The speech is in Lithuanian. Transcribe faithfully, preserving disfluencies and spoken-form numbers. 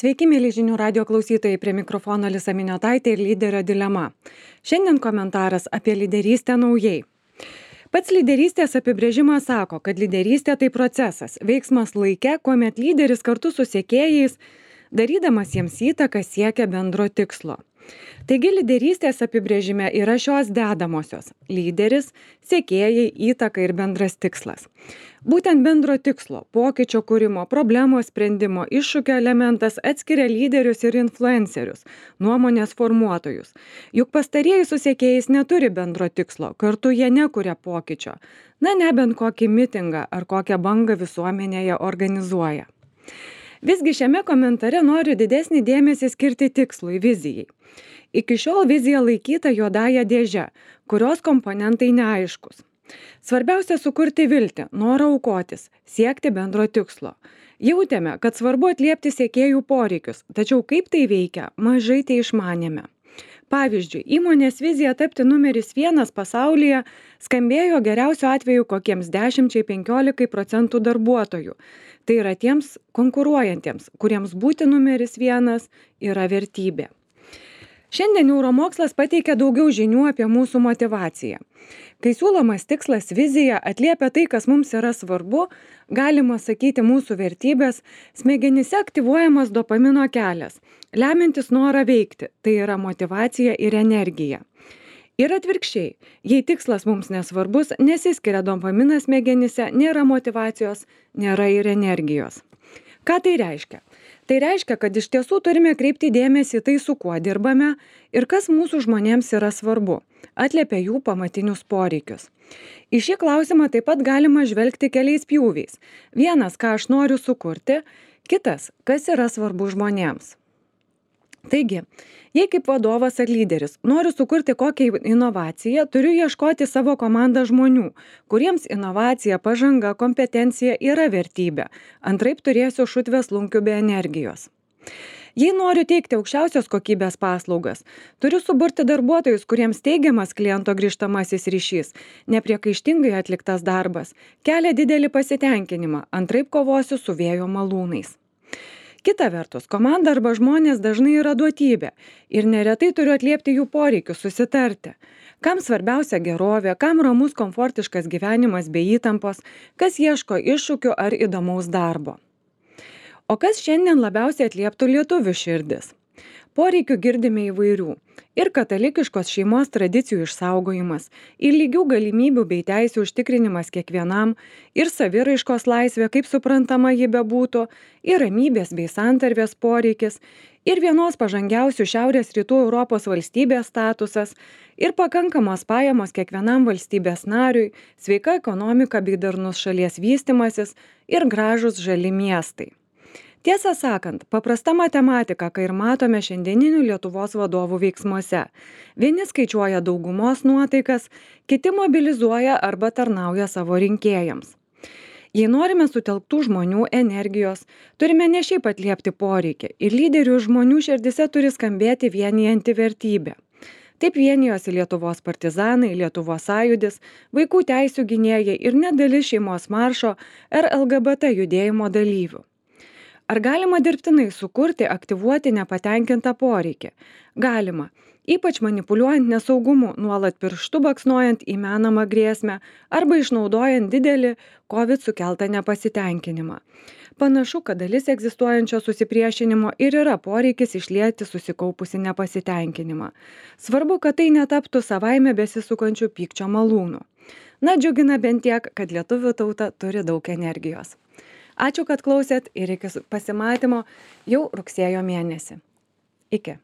Sveiki, mėly žinių radio klausytojai, prie mikrofono Alisa Miniotaitė ir lyderio dilema. Šiandien komentaras apie lyderystę naujai. Pats lyderystės apibrėžimas sako, kad lyderystė tai procesas, veiksmas laike, kuomet lyderis kartu su sekėjais, darydamas jiems įtaką, siekia bendro tikslo. Taigi lyderystės apibrėžime yra šios dedamosios – lyderis, sekėjai, įtaka ir bendras tikslas. Būtent bendro tikslo, pokyčio kūrimo, problemos sprendimo, iššūkio elementas atskiria lyderius ir influencerius, nuomonės formuotojus. Juk pastarieji su sekėjais neturi bendro tikslo, kartu jie nekuria pokyčio. Na, nebent kokį mitingą ar kokią bangą visuomenėje organizuoja. Visgi šiame komentare noriu didesnį dėmesį skirti tikslui, vizijai. Iki šiol vizija laikyta juodąja dėže, kurios komponentai neaiškus. Svarbiausia sukurti viltį, norą aukotis, siekti bendro tikslo. Jautėme, kad svarbu atliepti sekėjų poreikius, tačiau kaip tai veikia, mažai tai išmanėme. Pavyzdžiui, įmonės vizija tapti numeris vienas pasaulyje skambėjo geriausiu atveju kokiems dešimčiai penkiolikai procentų darbuotojų. Tai yra tiems konkuruojantiems, kuriems būti numeris vienas yra vertybė. Šiandien neuromokslas pateikia daugiau žinių apie mūsų motivaciją. Kai siūlomas tikslas vizija atliepia tai, kas mums yra svarbu, galima sakyti mūsų vertybės, smegenyse aktyvuojamas dopamino kelias, lemiantis norą veikti, tai yra motyvacija ir energija. Ir atvirkščiai, jei tikslas mums nesvarbus, nesiskiria dopaminas smegenyse, nėra motyvacijos, nėra ir energijos. Ką tai reiškia? Tai reiškia, kad iš tiesų turime kreipti dėmesį į tai, su kuo dirbame ir kas mūsų žmonėms yra svarbu, atliepia jų pamatinius poreikius. Į šį klausimą taip pat galima žvelgti keliais pjūviais. Vienas, ką aš noriu sukurti, kitas, kas yra svarbu žmonėms. Taigi, jei kaip vadovas ar lyderis noriu sukurti kokią inovaciją, turiu ieškoti savo komandą žmonių, kuriems inovacija, pažanga, kompetencija yra vertybė. Antraip turėsiu šutvės lunkių be energijos. Jei noriu teikti aukščiausios kokybės paslaugas, turiu suburti darbuotojus, kuriems teigiamas kliento grįžtamasis ryšys, nepriekaištingai atliktas darbas, kelia didelį pasitenkinimą, antraip kovosiu su vėjo malūnais. Kita vertus, komanda arba žmonės dažnai yra duotybė ir neretai turiu atliepti jų poreikius, susitarti. Kam svarbiausia gerovė, kam ramus komfortiškas gyvenimas be įtampos, kas ieško iššūkių ar įdomaus darbo. O kas šiandien labiausiai atlieptų lietuvių širdis? Poreikių girdime įvairių. Ir katalikiškos šeimos tradicijų išsaugojimas, ir lygių galimybių bei teisių užtikrinimas kiekvienam, ir saviraiškos laisvė, kaip suprantama ji bebūtų, ir ramybės bei santarvės poreikis, ir vienos pažangiausių šiaurės rytų Europos valstybės statusas, ir pakankamos pajamos kiekvienam valstybės nariui, sveika ekonomika bei darnus šalies vystimasis, ir gražūs žali miestai. Tiesą sakant, paprasta matematika, kai ir matome šiandieninių Lietuvos vadovų veiksmuose. Vieni skaičiuoja daugumos nuotaikas, kiti mobilizuoja arba tarnauja savo rinkėjams. Jei norime sutelktų žmonių energijos, turime ne šiaip atliepti poreikį ir lyderių žmonių širdise turi skambėti vienijanti vertybė. Taip vienijosi Lietuvos partizanai, Lietuvos sąjūdis, vaikų teisių gynėjai ir net dalis šeimos maršo ar L G B T judėjimo dalyvių. Ar galima dirbtinai sukurti, aktyvuoti nepatenkintą poreikį? Galima, ypač manipuliuojant nesaugumu, nuolat pirštu baksnuojant į menamą grėsmę arba išnaudojant didelį COVID sukeltą nepasitenkinimą. Panašu, kad dalis egzistuojančio susipriešinimo ir yra poreikis išlieti susikaupusi nepasitenkinimą. Svarbu, kad tai netaptų savaime besisukančių pykčio malūnų. Na, džiugina bent tiek, kad lietuvių tauta turi daug energijos. Ačiū, kad klausėt ir iki pasimatymo jau rugsėjo mėnesį. Iki.